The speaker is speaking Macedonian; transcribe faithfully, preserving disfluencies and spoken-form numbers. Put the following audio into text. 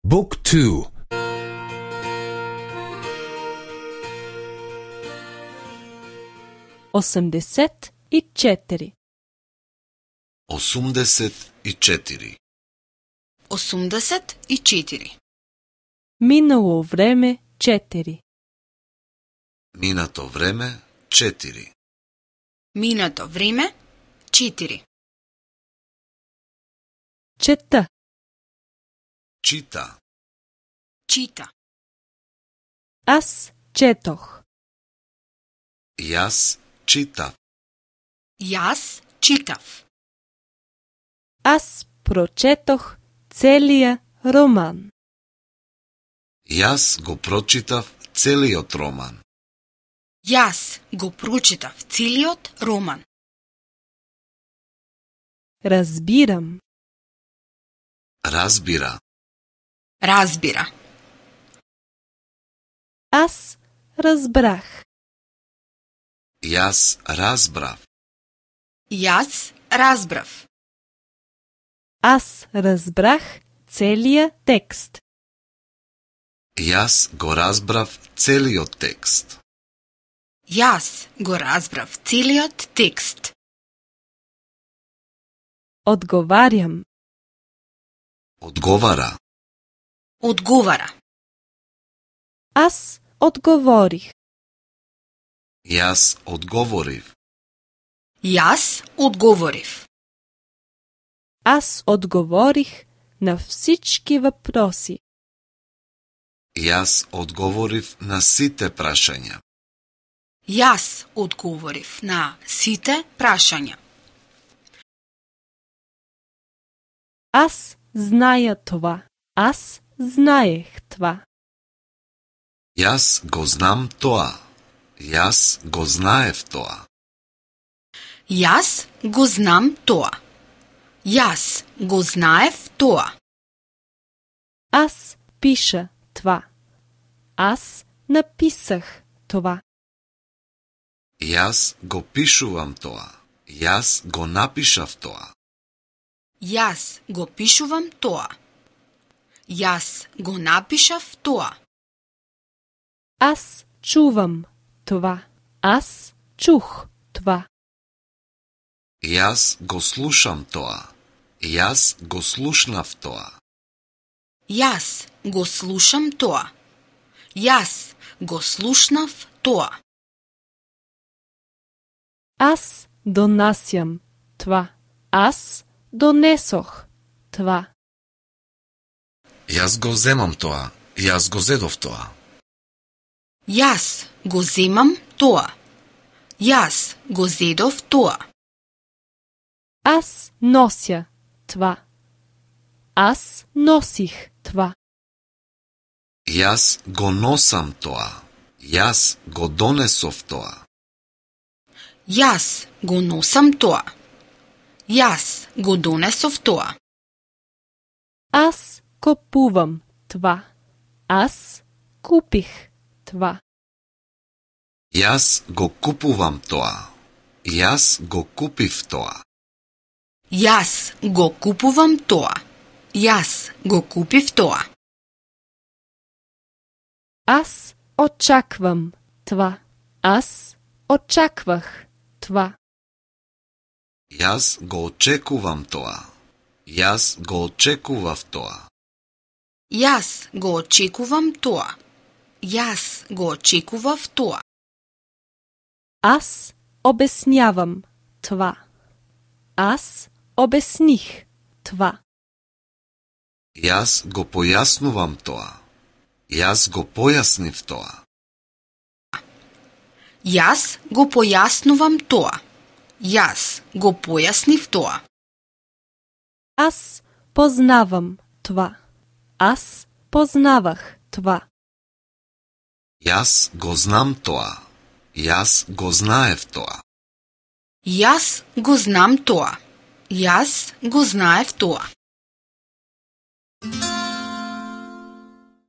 Book two. осемдесет и четири. осумдесет и четири. осумдесет и четири. Минало време четири. Минато време четири. Минато време четири. Чета. Чита. Чита. Аз четох. Јас читав. Јас читав. Аз прочетох целия роман. Јас го прочитав целиот роман. Јас го прочитав целиот роман. Разбирам. Разбира. Разбира. Аз разбрах. Јас разбрав. Јас разбрав. Аз разбрах целия текст. Јас го разбрав целиот текст. Јас го разбрав целиот текст. Одговарям. Одговара. Одговара. Аз одговорих. Јас одговорив. Јас одговорив. Аз одговорих на всички въпроси. Јас одговорив на сите прашања. Јас одговорив на сите прашања. Аз зная това. Аз знаех това. Јас го знам тоа. Јас го знаев тоа. Јас го знам тоа. Јас го знаев тоа. Аз пиша това. Аз написах това. Јас го пишувам тоа. Јас го напишав тоа. Јас го пишувам тоа. Јас го напишав тоа. Аз чувам това. Аз чух това. Јас го слушам тоа. Јас го слушнав тоа. Јас го слушам тоа. Јас го слушнав тоа. Аз донасям това. Аз донесох това. Јас го земам тоа. Јас го зедов тоа. Јас го земам тоа. Јас го зедов тоа. Аз нося това. Аз носих това. Јас го носам тоа. Јас го донесов тоа. Јас го носам тоа. Јас го донесов тоа. Аз купувам това. Аз купих това. Јас го купувам тоа. Јас го купив тоа. Јас го купувам тоа. Јас го купив тоа. Аз очаквам това. Аз очаквах това. Јас го очекувам тоа. Јас го очекував тоа. Јас го очекувам тоа. Јас го очекував тоа. Аз обяснявам това. Аз обясних това. Јас го појаснувам тоа. Јас го појаснив тоа. Јас го појаснувам тоа. Јас го појаснив тоа. Аз познавам това. Аз познавах това. Јас го знам тоа. Јас го знаев тоа. Јас го знам тоа. Јас го знаев тоа.